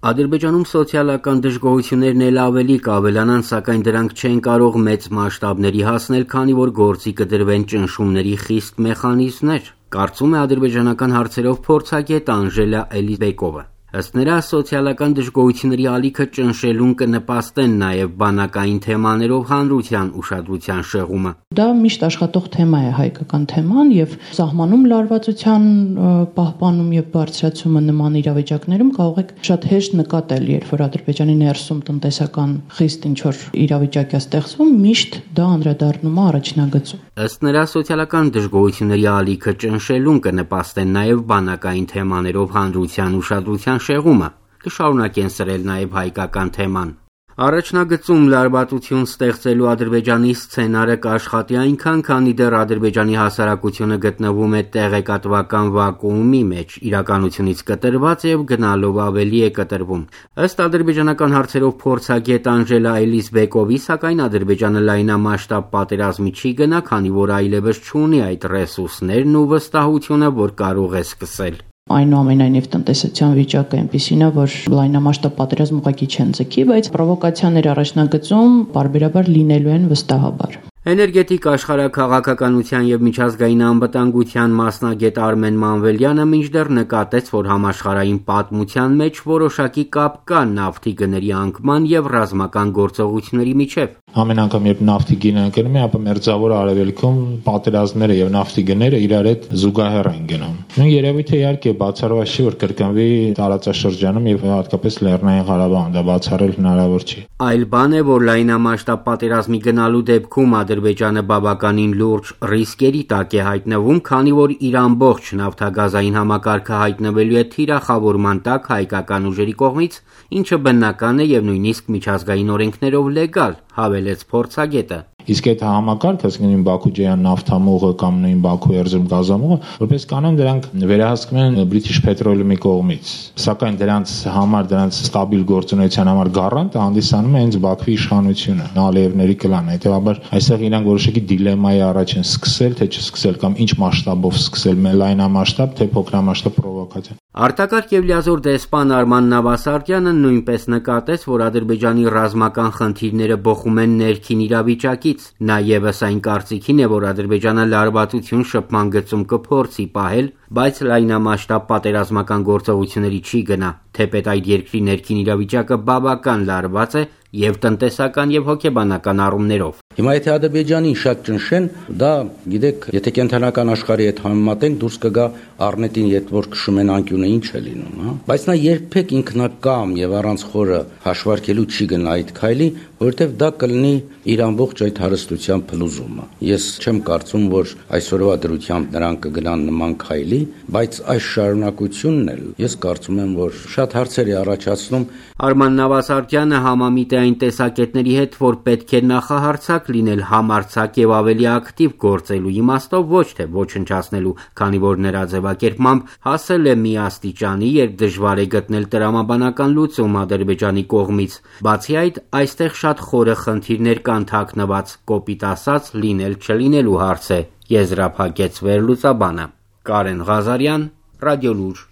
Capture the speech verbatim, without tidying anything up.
Ադրբեջանում սոցիալական դժգոհություններն էլ ավելի կավելանան, սակայն դրանք չեն կարող մեծ մասշտաբների հասնել, քանի որ գործի կդրվեն ճնշումների խիստ մեխանիզմներ, կարծում է ադրբեջանական հարցերով փորձագետ Անժելա Էլիզբեկովը։ Ըստ նրա, սոցիալական դժգոհությունների ալիքը ճնշելուն կնպաստեն նաև բանակային թեմաներով հանրության ուշադրության շեղումը։ Դա միշտ աշխատող թեմա է, հայկական թեման, եւ սահմանում լարվածության պահպանում եւ բարձրացումը նման իրավիճակներում կարող եք շատ հեշտ նկատել, երբ որ Ադրբեջանի ներսում տնտեսական խիստ ինչ-որ իրավիճակ է ստեղծվում, միշտ դա անդրադառնում է առաջնագծում։ Ըստ նրա, սոցիալական դժգոհությունների ալիքը ճնշելուն կնպաստեն նաև բանակային թեմաներով հանրության ուշադրության շեղումը, կշարունակեն սրել նաև հայկական թեման։ Առաջնագծում լարվածություն ստեղծելու Ադրբեջանի սցենարը կաշխատի այնքան, քանի դեռ Ադրբեջանի հասարակությունը գտնվում է տեղեկատվական վակուումի մեջ, իրականությունից կտրված եւ գնալով ավելի է կտրվում։ Ըստ ադրբեջանական հարցերով փորձագետ Անժելա Էլիզբեկովի, սակայն Ադրբեջանը լայնամասշտաբ պատերազմի չի գնա, քանի որ այլևս չունի այդ ռեսուրսներն ու վստահությունը, որ կարող է սկսել։ Այնուամենայնիվ տնտեսության վիճակը այնպիսին է, որ լայնամասշտաբ պատերազմ ուղղակի չեն ձգի, բայց պրովոկացիաներ առաջնագծում պարբերաբար լինելու են վստահաբար։ Էներգետիկ աշխարհաքաղաքականության եւ միջազգային անվտանգության մասնագետ Արմեն Մանվելյանը մինչդեռ նկատեց, որ համաշխարհային պատմության մեջ որոշակի կապ կա նավթի գների անկման եւ ռազմական գործողությունների միջեւ։ Ամեն անգամ երբ նավթի գինը ընկնում է, ապա մերձավոր արևելքում պատերազմները եւ նավթի գները իրար հետ զուգահեռ են գնում։ Նույն երևույթը իհարկե բացառված չի, որ կրկնվի տարածաշրջանում եւ հատկապես Լեռնային Ղարաբաղում, դա բացառել հնարավոր չի։ Այլ բան է, որ լայնամասշտաբ պատերազմի գնալու դեպքում Ադրբեջանը բավականին լուրջ ռիսկերի տակ է հայտնվում, քանի որ իր ամբողջ նավթագազային համակարգը հայտնվելու է թիրախավորման տակ հայկական ուժերի կողմից, ինչը բնական է եւ նույնիսկ միջազգային օրենքներով լեգալ, հավելեց փորձագետը։ Իսկ այդ համակարգը, ասենք Բաքու-Ջեյան նավթամուղը կամ նույն Բաքու Էրզրում գազամուղը, որպես կանոն դրանք վերահսկվում են British Petroleum-ի կողմից։ Սակայն դրանց համար, դրանց ստաբիլ գործունեության համար գարանտը հանդիսանում է հենց Բաքվի իշխանությունը, Ալիևների կլանը։ Հետևաբար այստեղ իրանք որոշակի դիլեմայի առաջ են սկսել, թե չսկսել կամ ինչ մասշտաբով սկսել, լայնամասշտաբ, թե փոքրամասշտաբ պրովոկացիա։ Արտակարգ եւ լիազոր դեսպան Արման Նավասարդյանը նույնպես նկատեց, որ Ադրբեջանի ռազմական խնդիրները բխում են ներքին իրավիճակից։ Նա ևս այն կարծիքին է, որ Ադրբեջանը լարվածություն շփման գծում կփորձի պահել, բայց լայնամասշտաբ պատերազմական գործողությունների չի գնա, թեպետ այդ երկրի ներքին իրավիճակը բավական լարված է եւ տնտեսական եւ հոգեբանական առումներով։ Հիմա եթե Ադրբեջանին շատ ճնշեն, դա գիտեք, եթե կենտրոնական աշխարհի հետ համեմատենք, դուրս կգա առնետին, երբ որ քշում են անկյունը, ինչ է լինում, հա։ Բայց նա երբեք ինքնակամ եւ առանց խորը հաշվարկելու չի գնա այդ քայլի, որովհետեւ դա կլինի իր ամբողջ այդ հարստության փլուզումը։ Ես չեմ կարծում, որ այսօրվա դրությամբ նրանք կգնան նման քայլի, բայց այս շարունակությունն էլ ես կարծում եմ, որ շատ հարցեր է առաջացնում։ Արման Նավասարդյանը համամիտ է այն տեսակետների հետ, որ պետք է նախահարցակ լինել համարձակ եւ ավելի ակտիվ գործելու իմաստով, ոչ թե ոչնչացնելու, քանի որ նրա ձևակերպմամբ հասել է մի աստիճանի, երբ դժվար է գտնել տրամաբանական լուծում Ադրբեջանի կողմից։ Բացի այդ, այստեղ շատ խորը խնդիրներ կան թաքնված, կոպիտ ասած, լինել չլինելու հարց է, եզրափակեց վերլուծաբանը։ Կարեն Ղազարյան, Ռադիոլուր։